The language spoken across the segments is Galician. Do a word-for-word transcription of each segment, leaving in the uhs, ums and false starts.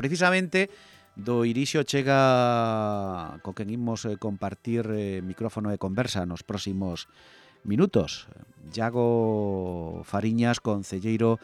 Precisamente do Irixo chega co quen imos compartir eh, micrófono e conversa nos próximos minutos. Iago Fariñas, concelleiro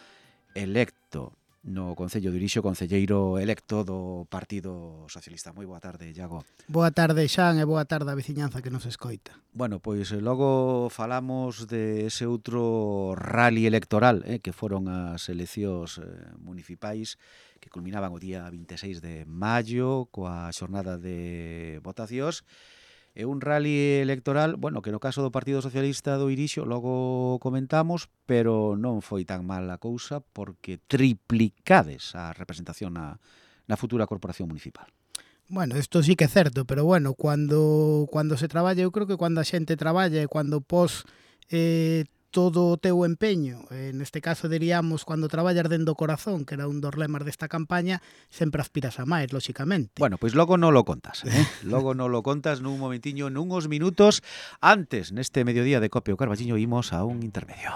electo no Concello de Irixo, concelleiro electo do Partido Socialista. Moi boa tarde, Iago. Boa tarde, Xan, e boa tarde a veciñanza que nos escoita. Bueno, pois logo falamos de ese outro rally electoral, eh, que foron as eleccións eh, municipais que culminaban o día vinte e seis de maio coa xornada de votacións. É un rally electoral, bueno, que no caso do Partido Socialista do Irixo logo comentamos, pero non foi tan mal a cousa porque triplicades a representación na, na futura corporación municipal. Bueno, isto sí que é certo, pero bueno, cando cando se traballa, eu creo que cando a xente traballa e cando pos eh, todo o teu empeño, eh, neste caso diríamos cando traballas dentro do corazón, que era un dos lemas desta campaña, sempre aspiras a máis, lóxicamente. Bueno, pois logo non lo contas, eh? Logo non lo contas nun momentiño, nunhos minutos. Antes, neste mediodía de Cope o Carballiño, imos a un intermedio.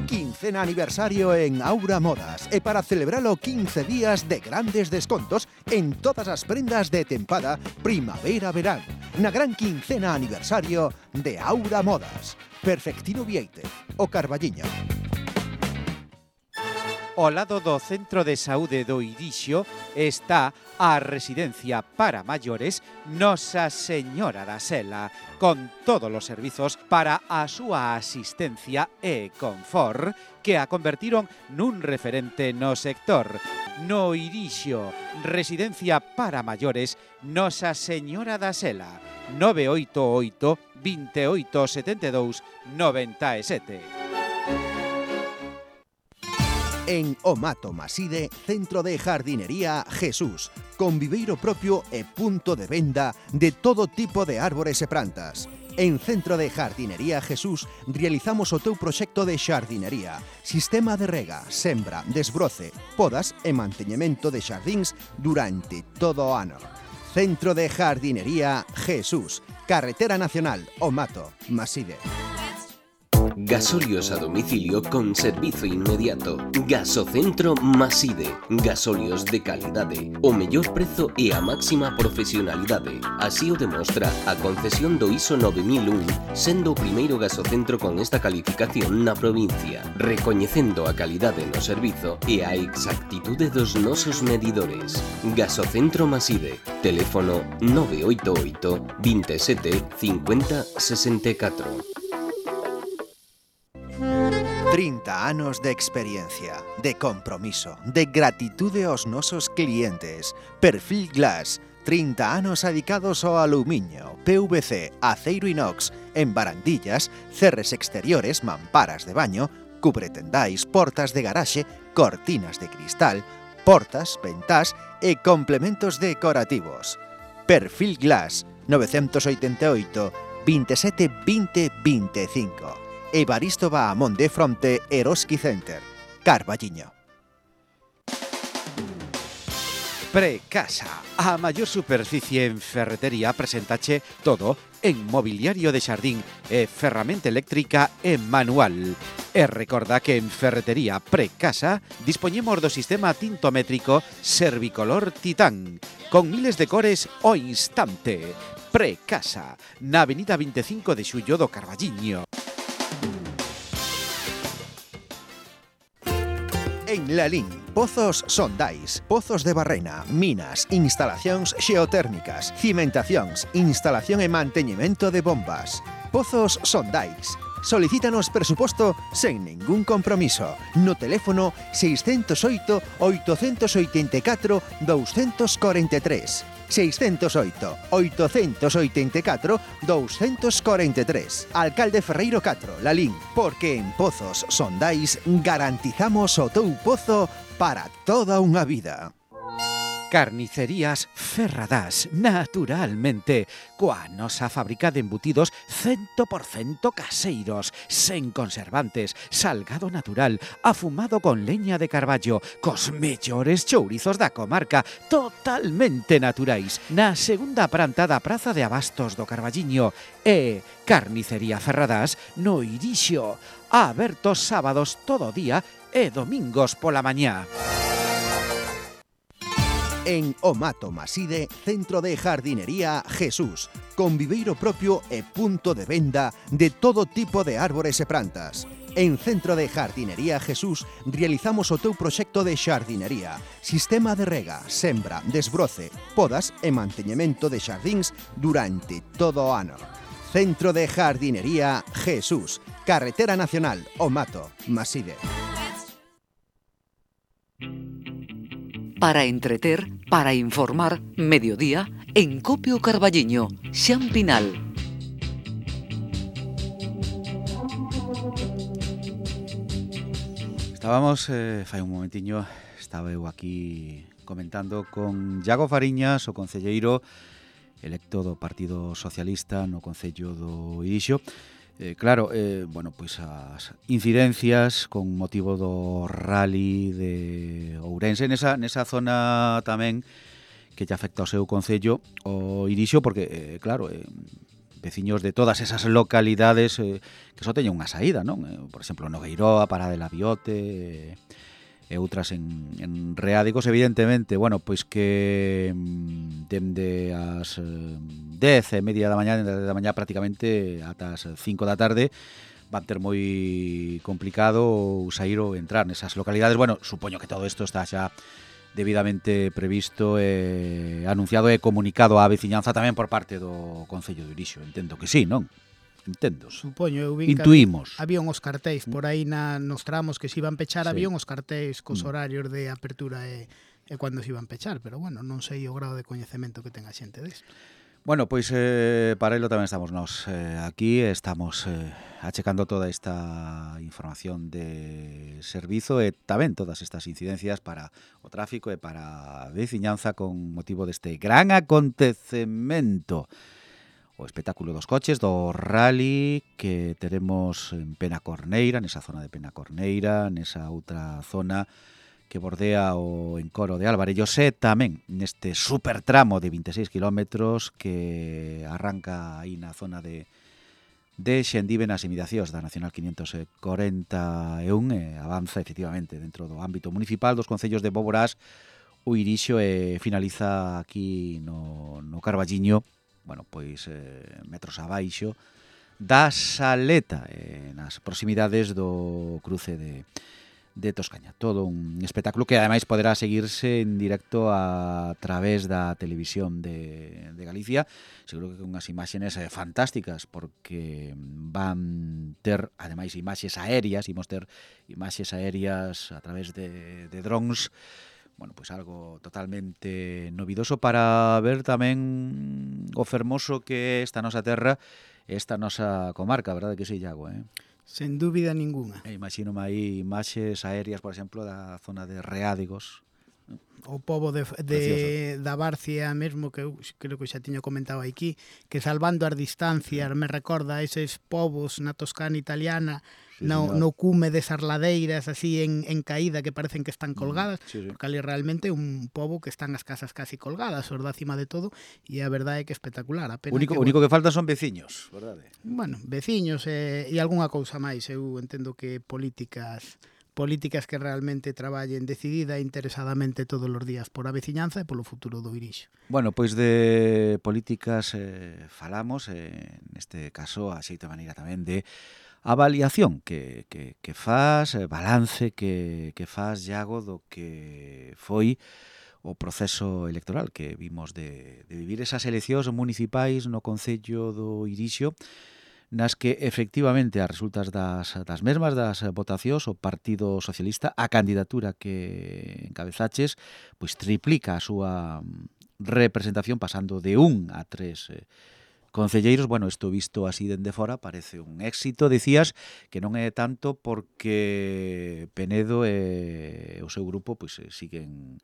Quincena aniversario en Aura Modas e para celebralo quince días de grandes descontos en todas as prendas de tempada primavera-verán. Na gran quincena aniversario de Aura Modas. Perfectino Vieite, o Carballiño. Ao lado do Centro de Saúde do Irixo está a residencia para maiores Nosa Señora da Sela, con todos os servizos para a súa asistencia e confort que a convertiron nun referente no sector. No Irixo, residencia para maiores Nosa Señora da Sela, nove oito oito, vinte e oito, setenta e dous, noventa e sete. En Omato Maside, Centro de Jardinería Jesús, con viveiro propio e punto de venda de todo tipo de árbores e plantas. En Centro de Jardinería Jesús realizamos o teu proxecto de xardinería, sistema de rega, sembra, desbroce, podas e manteñemento de xardíns durante todo o ano. Centro de Jardinería Jesús, Carretera Nacional, Omato Maside. Gasolios a domicilio con servizo inmediato. Gasocentro Maside. Gasolios de calidade, o mellor prezo e a máxima profesionalidade. Así o demostra a concesión do I S O nove mil un, sendo o primeiro gasocentro con esta calificación na provincia, recoñecendo a calidade no servizo e a exactitude dos nosos medidores. Gasocentro Maside. Teléfono nove oito oito, vinte e sete, cincuenta, sesenta e catro. trinta anos de experiencia, de compromiso, de gratitude aos nosos clientes. Perfil Glass, trinta anos dedicados ao aluminio, P V C, aceiro inox, en barandillas, cerres exteriores, mamparas de baño, cubretendais, portas de garaxe, cortinas de cristal, portas, ventás e complementos decorativos. Perfil Glass, novecientos oitenta e oito, vinte e sete, vinte, vinte e cinco. Evaristo Bahamonde fronte Eroski Center, Carballiño. Precasa, a maior superficie en ferretería, presentache todo en mobiliario de xardín e ferramenta eléctrica e manual. E recorda que en Ferretería Precasa dispoñemos do sistema tintométrico Servicolor Titán, con miles de cores ao instante. Precasa, na avenida vinte e cinco de xullo do Carballiño. En Lalín, pozos Sondais, pozos de barrena, minas, instalacións xeotérmicas, cimentacións, instalación e manteñemento de bombas. Pozos Sondais. Solicítanos presuposto sen ningún compromiso no teléfono seiscentos oito, oitocentos oitenta e catro, doscientos cuarenta e tres. seiscentos oito, oitocentos oitenta e catro, doscientos cuarenta e tres. Alcalde Ferreiro catro, Lalín, porque en Pozos Sondais garantizamos o teu pozo para toda unha vida. Carnicerías Ferradás, naturalmente, coa nosa fábrica de embutidos cen por cento caseiros, sen conservantes, salgado natural, afumado con leña de carballo, cos mellores chourizos da comarca, totalmente naturais, na segunda planta da Praza de Abastos do Carballiño, e Carnicería Ferradás no Irixo, abertos sábados todo o día e domingos pola mañá. En Omato Maside, Centro de Jardinería Jesús, con viveiro propio e punto de venda de todo tipo de árbores e plantas. En Centro de Jardinería Jesús realizamos o teu proxecto de xardinería, sistema de rega, sembra, desbroce, podas e manteñemento de xardíns durante todo o ano. Centro de Jardinería Jesús, Carretera Nacional, Omato Maside. Para entreter, para informar, mediodía, en Copio Carballiño, Xan Pinal. Estábamos, eh, fai un momentiño, estaba eu aquí comentando con Iago Fariñas, o concelleiro electo do Partido Socialista no Concello do Irixo. Eh, claro, eh, bueno, pois as incidencias con motivo do rally de Ourense nesa, nesa zona tamén que lle afecta ao seu concello o Irixo, porque, eh, claro, eh, veciños de todas esas localidades eh, que só teñen unha saída, non? Eh, por exemplo, Nogueiroa, Parada de la Biote, eh, e outras en, en Reádicos, evidentemente, bueno, pois que mm, dende as eh, dez e media da mañá, da mañá prácticamente ata as cinco da tarde, van ter moi complicado sair ou entrar nesas localidades. Bueno, supoño que todo isto está xa debidamente previsto e anunciado e comunicado á veciñanza tamén por parte do Concello de Irixo. Entendo que sí, non? Entendo. Supoño, eu vi Intuímos. Había uns cartéis por aí na, nos tramos que se iban pechar, Sí. había uns cartéis cos Mm. horarios de apertura e, e cando se iban pechar, pero bueno, non sei o grado de coñecemento que ten a xente disto. Bueno, pois eh, para ello tamén estamos nós eh, aquí, estamos eh, achecando toda esta información de servizo e tamén todas estas incidencias para o tráfico e para a veciñanza con motivo deste gran acontecemento, o espectáculo dos coches do rally que teremos en Penacorneira, nesa zona de Penacorneira, nesa outra zona que bordea o encoro de Alvarellos e tamén neste supertramo de vinte e seis kilómetros que arranca aí na zona de de Xendive nas inmediacións da Nacional quinientos corenta e un e avanza efectivamente dentro do ámbito municipal dos concellos de Boborás, o Irixo e finaliza aquí no, no Carballiño, bueno, pois eh, metros abaixo da Saleta, eh, nas proximidades do cruce de de Toscaña. Todo un espectáculo que ademais poderá seguirse en directo a través da televisión de, de Galicia, seguro que con unhas imaxes eh, fantásticas, porque van ter ademais imaxes aéreas, imos ter imaxes aéreas a través de, de drones, bueno, pois pues algo totalmente novidoso para ver tamén o fermoso que é esta nosa terra, esta nosa comarca, verdade que sí, Iago, eh? Sen dúbida ninguna. E imagínome aí imaxes aéreas, por exemplo, da zona de Reádicos. O pobo de, de da Barcia mesmo, que eu creo que xa tiño comentado aquí, que salvando as distancias me recorda a eses povos na Toscana italiana, Sí, no, señor. no cume desas ladeiras así en, en caída que parecen que están colgadas, Sí, sí. porque ali realmente un pobo que están as casas casi colgadas, os da cima de todo, e a verdade é que espectacular. A pena Único, que, único que faltan son veciños, verdade? bueno, veciños e, e algunha cousa máis. Eu entendo que políticas políticas que realmente traballen decidida e interesadamente todos os días por a veciñanza e polo futuro do Irixo. Bueno, pois de políticas eh, falamos, eh, neste caso, a xeita maneira tamén de avaliación que, que, que faz, eh, balance que, que faz, Iago, do que foi o proceso electoral que vimos de, de vivir esas eleccións municipais no Concello do Irixo, nas que efectivamente as resultas das, das mesmas das votacións, o Partido Socialista, a candidatura que encabezaches, pois triplica a súa representación pasando de un a tres eh, concelleiros. Bueno, isto visto así dende fora parece un éxito, dicías, que non é tanto porque Penedo e o seu grupo pois siguen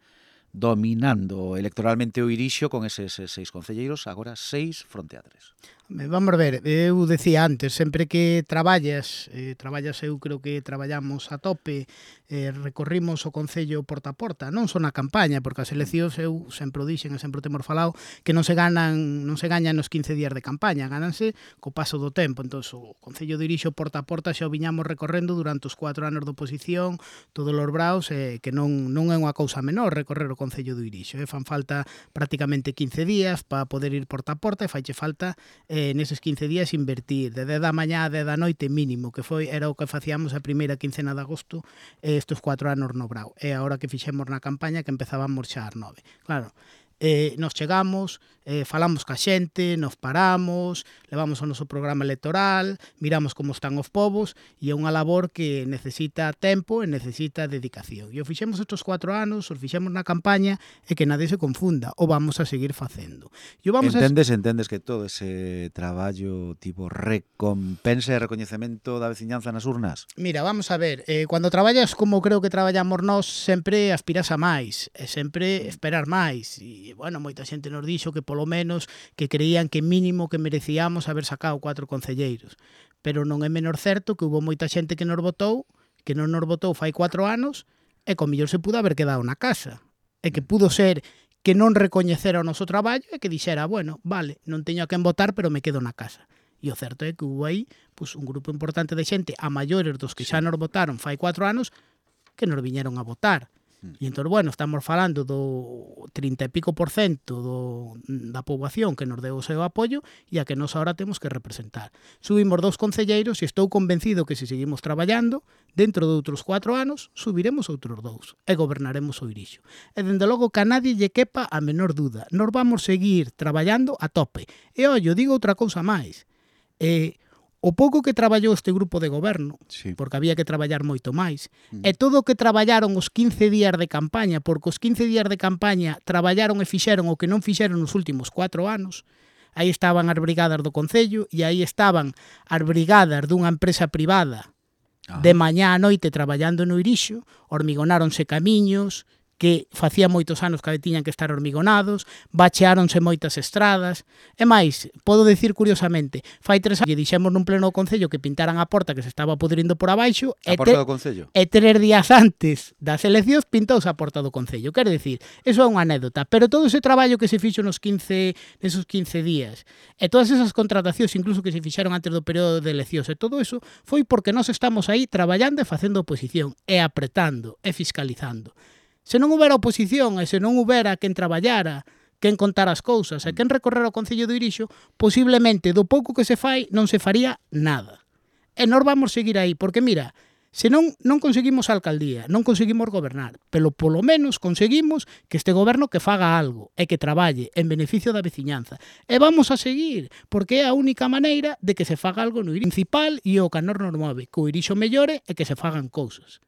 dominando electoralmente o Irixo con eses seis concelleiros, agora seis fronte a tres. Vamos ver, eu decía antes, sempre que traballas, eh, traballas eu creo que traballamos a tope, eh, recorrimos o Concello porta a porta, non só na campaña, porque as eleccións eu sempre o dixen e sempre o temos falado, que non se ganan non se gañan nos quince días de campaña, gánanse co paso do tempo. Entón, o Concello de Irixo porta a porta xa o viñamos recorrendo durante os cuatro anos de oposición, todos os braos, eh, que non, non é unha cousa menor recorrer o Concello do Irixo, eh, fan falta prácticamente quince días para poder ir porta a porta e faiche falta eh, neses quince días invertir de dez da mañá a dez da noite mínimo, que foi era o que facíamos a primeira quincena de agosto eh, estes cuatro anos no Brao. E agora que fixemos na campaña que empezábamos xa ás nove. Claro, eh, nos chegamos, eh, falamos ca xente, nos paramos, levamos o noso programa electoral, miramos como están os povos, e é unha labor que necesita tempo e necesita dedicación. E o fixemos estes cuatro anos, os fixemos na campaña, e que nadie se confunda, o vamos a seguir facendo. E o vamos entendes, a... entendes que todo ese traballo tipo recompensa e recoñecemento da veciñanza nas urnas? Mira, vamos a ver, eh, cando traballas como creo que traballamos nós, sempre aspiras a máis, e sempre esperar máis, e, bueno, moita xente nos dixo que polo menos que creían que mínimo que merecíamos haber sacado cuatro concelleiros, pero non é menor certo que hubo moita xente que nos votou, que non nos votou fai cuatro anos, e con mellor se pudo haber quedado na casa, e que pudo ser que non recoñecera o noso traballo e que dixera, bueno, vale, non teño a quen votar, pero me quedo na casa. E o certo é que hubo aí pues, un grupo importante de xente, a maiores dos que xa nos votaron fai cuatro anos, que nos viñeron a votar. E entón, bueno, estamos falando do trinta e pico por cento do, da poboación que nos deu o seu apoio e a que nos ahora temos que representar. Subimos dous concelleiros e estou convencido que se seguimos traballando, dentro de outros cuatro anos, subiremos outros dous e gobernaremos o Irixo. E, dende logo, que a nadie lle quepa a menor duda. Nos vamos seguir traballando a tope. E, ollo, digo outra cousa máis. Eh, o pouco que traballou este grupo de goberno, sí, porque había que traballar moito máis, mm. e todo o que traballaron os quince días de campaña, porque os quince días de campaña traballaron e fixeron o que non fixeron nos últimos cuatro anos, aí estaban as brigadas do Concello e aí estaban as brigadas dunha empresa privada ah. de mañá a noite traballando no Irixo, hormigonáronse camiños, que facía moitos anos que tiñan que estar hormigonados, bacheáronse moitas estradas, e máis, podo decir curiosamente, fai tres anos que dixemos nun pleno do Concello que pintaran a porta que se estaba pudrindo por abaixo, a porta do Concello? E tres días antes das eleccións pintouse a porta do Concello, quero dicir, eso é unha anécdota, pero todo ese traballo que se fixo nos quince, nesos quince días, e todas esas contratacións incluso que se fixeron antes do período de eleccións, e todo eso foi porque nós estamos aí traballando e facendo oposición, e apretando, e fiscalizando. Se non houbera oposición e se non houbera quen traballara, quen contar as cousas e quen recorrer ao Concello do Irixo, posiblemente do pouco que se fai non se faría nada. E nós vamos seguir aí, porque mira, se non, non conseguimos a alcaldía, non conseguimos gobernar, pero polo menos conseguimos que este goberno que faga algo e que traballe en beneficio da veciñanza. E vamos a seguir, porque é a única maneira de que se faga algo no Irixo principal e o que a nos nos move, que o Irixo mellore e que se fagan cousas.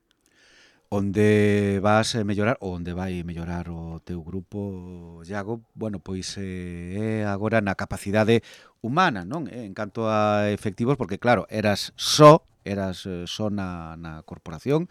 Onde vas a mellorar, ou onde vai mellorar o teu grupo, Iago, bueno, pois é agora na capacidade humana, non? En canto a efectivos, porque claro, eras só, eras só na, na corporación,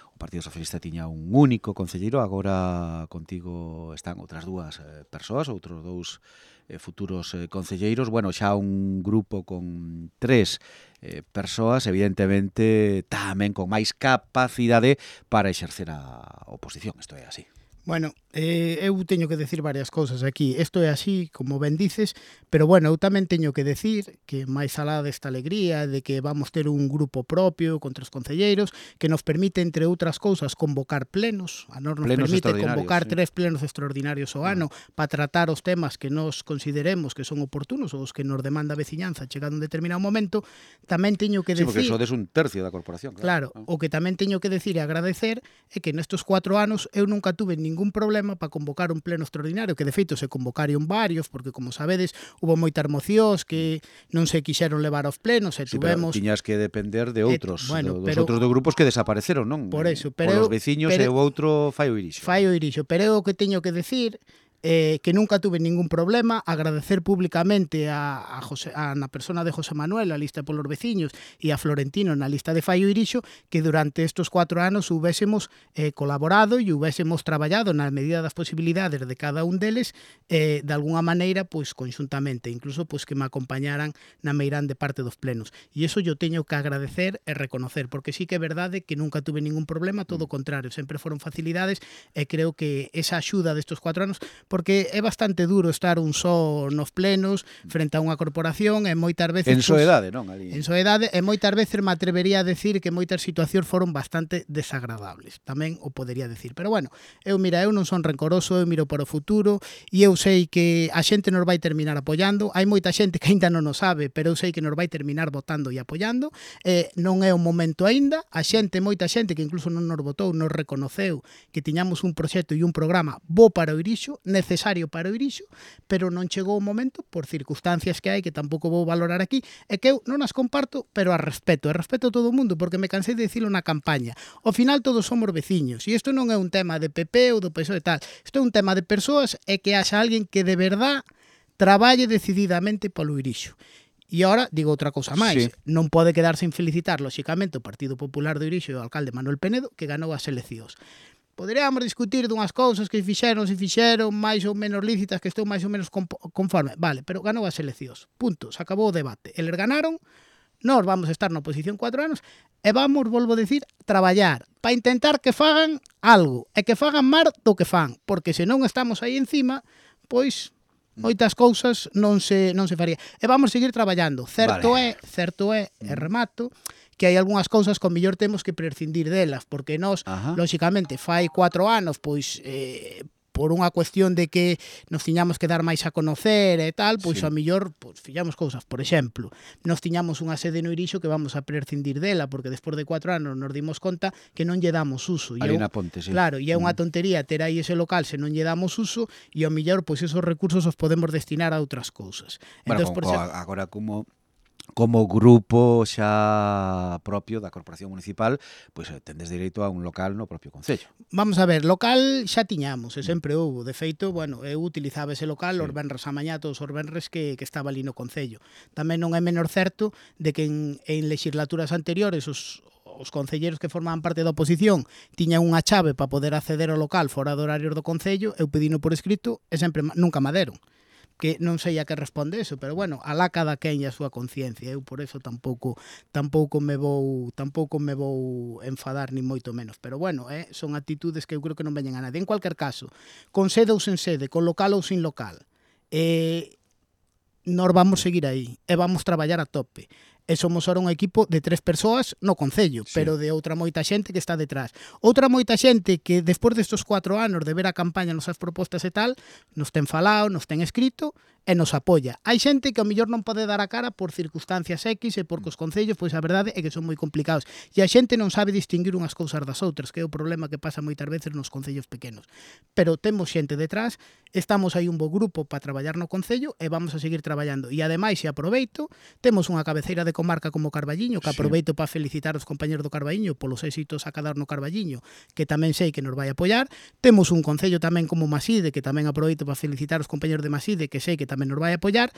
o Partido Socialista tiña un único concelleiro, agora contigo están outras dúas persoas, outros dous eh, futuros eh, concelleiros, bueno, xa un grupo con tres eh, persoas, evidentemente, tamén con máis capacidade para exercer a oposición, isto é así. Bueno, eh, eu teño que decir varias cousas aquí. Isto é así, como ben dices, pero bueno, eu tamén teño que decir que máis alá desta alegría de que vamos ter un grupo propio con tres concelleiros que nos permite, entre outras cousas, convocar plenos. A nos nos plenos permite convocar sí. tres plenos extraordinarios ao ano ah. para tratar os temas que nos consideremos que son oportunos ou os que nos demanda a veciñanza chegado un determinado momento. Tamén teño que sí, decir... porque sodes un tercio da corporación. Claro, claro, o que tamén teño que decir e agradecer é que nestes cuatro anos eu nunca tuve ningún problema para convocar un pleno extraordinario, que de feito se convocaron varios, porque como sabedes, hubo moitas mocións que non se quixeron levar aos plenos e sí, tuvemos... Pero tiñas que depender de outros, eh, bueno, dos pero, outros do grupos que desapareceron, non? Por eso, pero por os veciños pero, e o outro fai o Irixo. Fai o Irixo, pero o que teño que decir eh, que nunca tuve ningún problema, agradecer públicamente a, a, José, a na persona de José Manuel, a lista polos veciños, e a Florentino na lista de Fai o Irixo, que durante estes cuatro anos hubésemos eh, colaborado e hubésemos traballado na medida das posibilidades de cada un deles, eh, de alguna maneira, pois, conxuntamente, incluso pois, que me acompañaran na meirán de parte dos plenos. E iso yo teño que agradecer e reconocer, porque sí que é verdade que nunca tuve ningún problema, todo o contrario, sempre foron facilidades, e creo que esa axuda destes cuatro anos, porque é bastante duro estar un só nos plenos frente a unha corporación e moitas veces... En soedade, non? Ali. En soedade, e moitas veces me atrevería a decir que moitas situacións foron bastante desagradables. Tamén o podería decir. Pero bueno, eu, mira, eu non son rencoroso, eu miro para o futuro e eu sei que a xente nos vai terminar apoiando. Hai moita xente que aínda non o sabe, pero eu sei que nos vai terminar votando e apoiando. Eh, non é o momento aínda. A xente, moita xente que incluso non nos votou, nos reconoceu que tiñamos un proxecto e un programa bo para o Irixo, necesario para o Irixo, pero non chegou o momento por circunstancias que hai que tampouco vou valorar aquí, e que eu non as comparto, pero as respeto, e respeto a todo o mundo, porque me cansei de dicilo na campaña. Ao final todos somos veciños, e isto non é un tema de P P ou do P S O E e tal, isto é un tema de persoas e que haxa alguén que de verdad traballe decididamente polo Irixo. E agora, digo outra cousa máis, sí. Non pode quedar sen felicitar, lóxicamente, o Partido Popular do Irixo e o alcalde Manuel Penedo, que ganou as eleccións. Poderíamos discutir dunhas cousas que fixeron, se fixeron, máis ou menos lícitas, que estou máis ou menos conforme. Vale, pero ganou as eleccións. Punto, se acabou o debate. Eles ganaron, nós vamos estar na oposición cuatro anos e vamos, volvo a decir, traballar para intentar que fagan algo e que fagan máis do que fan, porque se non estamos aí encima, pois moitas cousas non se non se faría. E vamos seguir traballando. Certo vale. é, certo é, e remato, que hai algunhas cousas que ao mellor temos que prescindir delas, porque nós, Ajá. lóxicamente, fai cuatro anos, pois, eh, por unha cuestión de que nos tiñamos que dar máis a conocer e tal, pois sí. ao mellor pois, fixamos cousas. Por exemplo, nos tiñamos unha sede no Irixo que vamos a prescindir dela, porque despois de cuatro anos nos dimos conta que non lle damos uso. Ali na Ponte, sí. Claro, e é unha tontería ter aí ese local se non lle damos uso, e ao mellor pois esos recursos os podemos destinar a outras cousas. Bueno, Entón, con, por xa... agora como... como grupo xa propio da Corporación Municipal, pois tendes dereito a un local no propio concello. Vamos a ver, local xa tiñamos, e sempre houve. De feito, bueno, eu utilizaba ese local sí. os venres a mañá, todos os venres que, que estaba ali no concello. Tamén non é menor certo de que en, en legislaturas anteriores os os concelleiros que formaban parte da oposición tiñan unha chave para poder acceder ao local fora do horario do concello, eu pedino por escrito e sempre nunca me deron. Que non sei a que responde eso, pero bueno, alá cada quen e a súa conciencia. Eu por eso tampouco tampouco me vou tampouco me vou enfadar ni moito menos, pero bueno, eh, son actitudes que eu creo que non veñen a nadie. En cualquier caso, con sede ou sen sede, con local ou sin local, eh, nós vamos seguir aí e vamos traballar a tope. E somos ahora un equipo de tres persoas no concello, sí. pero de outra moita xente que está detrás. Outra moita xente que despois destos cuatro anos de ver a campaña, nosas propostas e tal, nos ten falado, nos ten escrito e nos apoia. Hai xente que ao mellor non pode dar a cara por circunstancias X e porque os concellos, pois a verdade é que son moi complicados. E a xente non sabe distinguir unhas cousas das outras, que é o problema que pasa moitas veces nos concellos pequenos. Pero temos xente detrás, estamos aí un bo grupo para traballar no concello e vamos a seguir traballando. E ademais, se aproveito, temos unha cabeceira de comarca como Carballiño, que aproveito sí. para felicitar os compañeros do Carballiño polos éxitos a cadar no Carballiño, que tamén sei que nos vai apoiar. Temos un concello tamén como Maside, que tamén aproveito para felicitar os compañeros de Maside, que sei que tamén nos vai apoiar.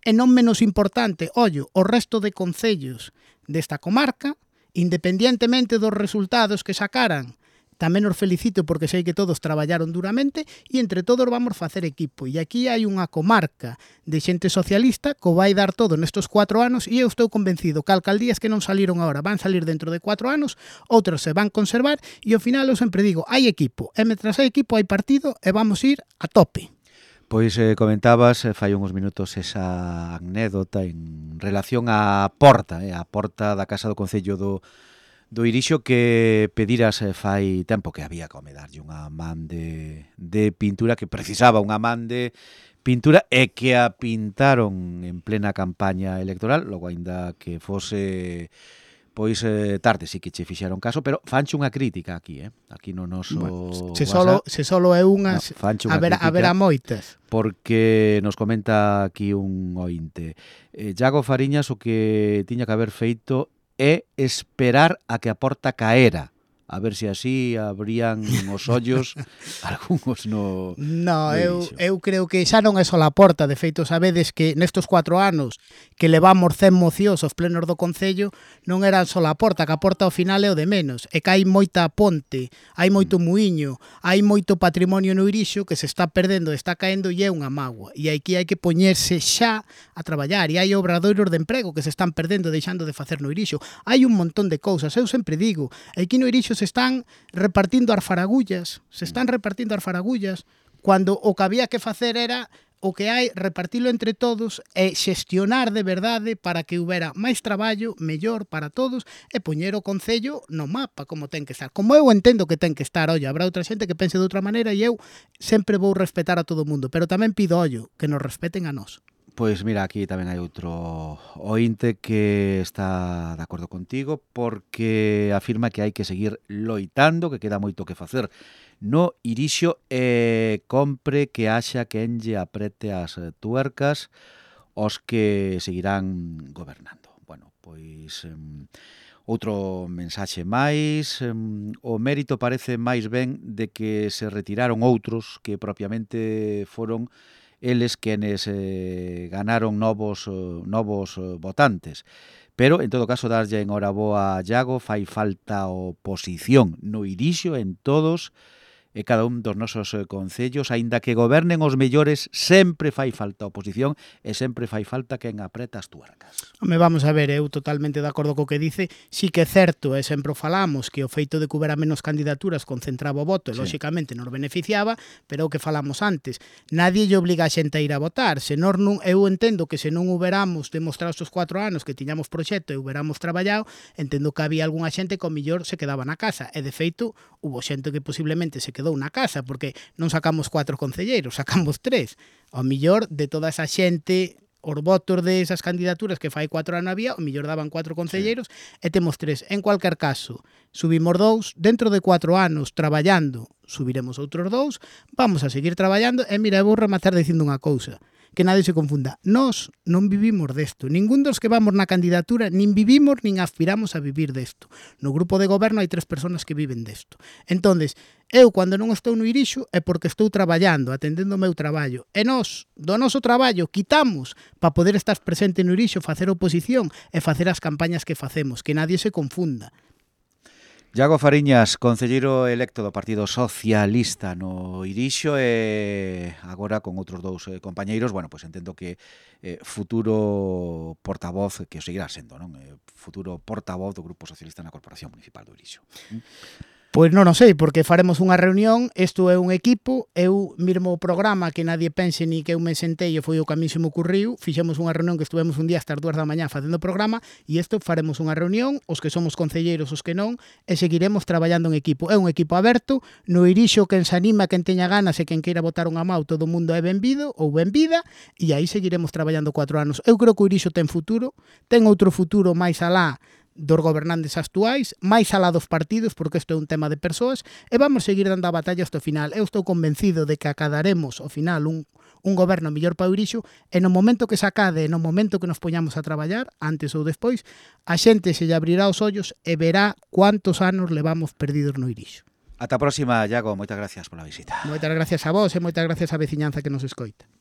E non menos importante, ollo, o resto de concellos desta comarca, independientemente dos resultados que sacaran, tamén os felicito porque sei que todos traballaron duramente e entre todos vamos facer equipo. E aquí hai unha comarca de xente socialista que vai dar todo nestes cuatro anos e eu estou convencido que alcaldías que non saliron agora van salir dentro de cuatro anos, outras se van conservar e ao final eu sempre digo, hai equipo, e mentras hai equipo hai partido e vamos ir a tope. Pois eh, comentabas, eh, fai uns minutos esa anécdota en relación á porta, eh, a porta da Casa do Concello do do Irixo que pediras eh, fai tempo que había que darlle unha man de, de pintura, que precisaba unha man de pintura e que a pintaron en plena campaña electoral, logo aínda que fose pois eh, tarde, sí que che fixeron caso, pero fanche unha crítica aquí, eh? Aquí no noso bueno, se solo se solo é unha, no, a ver a ver a moitas, porque nos comenta aquí un ointe. Eh, Iago Fariñas o que tiña que haber feito é esperar a que a porta caera a ver se así abrían os ollos algúns no... No, no eu, Irixo. eu creo que xa non é só a porta. De feito, sabedes que nestos cuatro anos que levamos cen mocións aos plenos do Concello non eran só a porta, que a porta ao final é o de menos. É que hai moita ponte, hai moito muiño, hai moito patrimonio no Irixo que se está perdendo, está caendo e é unha mágoa. E aquí hai que poñerse xa a traballar. E hai obradoiros de emprego que se están perdendo, deixando de facer no Irixo. Hai un montón de cousas. Eu sempre digo, aquí no Irixo se están repartindo as faragullas, se están repartindo as faragullas, cando o que había que facer era o que hai, repartilo entre todos e xestionar de verdade para que houbera máis traballo, mellor para todos e poñer o Concello no mapa como ten que estar. Como eu entendo que ten que estar, olla, habrá outra xente que pense de outra maneira e eu sempre vou respetar a todo o mundo, pero tamén pido, ollo, que nos respeten a nós. Pois mira, aquí tamén hai outro ointe que está de acordo contigo porque afirma que hai que seguir loitando, que queda moito que facer no Irixo e compre que haxa quen lle aprete as tuercas os que seguirán gobernando. Bueno, pois um, outro mensaxe máis, um, o mérito parece máis ben de que se retiraron outros que propiamente foron eles quenes eh, ganaron novos eh, novos eh, votantes. Pero, en todo caso, darlle en hora boa a Iago, fai falta oposición no Irixo en todos e cada un dos nosos eh, concellos, aínda que gobernen os mellores, sempre fai falta oposición e sempre fai falta quen apreta as tuercas. Home, vamos a ver, eu totalmente de acordo co que dice, sí que é certo, e sempre o falamos, que o feito de que houbera menos candidaturas concentraba o voto e, Sí. lóxicamente, nos beneficiaba, pero o que falamos antes, nadie lle obliga a xente a ir a votar, se nós non, eu entendo que se non huberamos demostrado estes cuatro anos que tiñamos proxecto e huberamos traballado, entendo que había algunha xente que ao millor se quedaba na casa, e de feito, hubo xente que posiblemente se quedou na casa, porque non sacamos cuatro concelleiros, sacamos tres. Ao millor de toda esa xente, os votos de esas candidaturas que fai cuatro anos había, ao millor daban cuatro concelleiros e temos tres. En cualquier caso, subimos dous, dentro de cuatro anos traballando, subiremos outros dous, vamos a seguir traballando e mira, vou rematar dicindo unha cousa, que nadie se confunda. Nós non vivimos desto. Ningún dos que vamos na candidatura nin vivimos nin aspiramos a vivir desto. No grupo de goberno hai tres persoas que viven desto. Entonces, eu, cando non estou no Irixo, é porque estou traballando, atendendo o meu traballo. E nós, do noso traballo, quitamos para poder estar presente no Irixo, facer oposición e facer as campañas que facemos. Que nadie se confunda. Iago Fariñas, concelleiro electo do Partido Socialista no Irixo e agora con outros dous eh, compañeiros, bueno, pois entendo que eh, futuro portavoz, que o seguirá sendo, non? Eh, futuro portavoz do Grupo Socialista na Corporación Municipal do Irixo. Pois non o sei, porque faremos unha reunión, isto é un equipo, eu mirmo o programa que nadie pense ni que eu me sentei e foi o que a mí se me ocurriu, fixemos unha reunión que estuvemos un día hasta as dúas da mañá facendo o programa e isto faremos unha reunión, os que somos concelleiros, os que non, e seguiremos traballando en equipo. É un equipo aberto, no Irixo quen se anima, quen teña ganas e quen queira botar unha mau, todo o mundo é benvido ou benvida e aí seguiremos traballando cuatro anos. Eu creo que o Irixo ten futuro, ten outro futuro máis alá dos gobernantes actuais, máis alá dos partidos, porque isto é un tema de persoas, e vamos seguir dando a batalla hasta o final. Eu estou convencido de que acadaremos ao final un, un goberno mellor para o Irixo, e no momento que se acade, no momento que nos poñamos a traballar, antes ou despois, a xente se lle abrirá os ollos e verá cuántos anos levamos perdidos no Irixo. Ata a próxima, Iago, moitas gracias pola visita. Moitas gracias a vos e moitas gracias á veciñanza que nos escoita.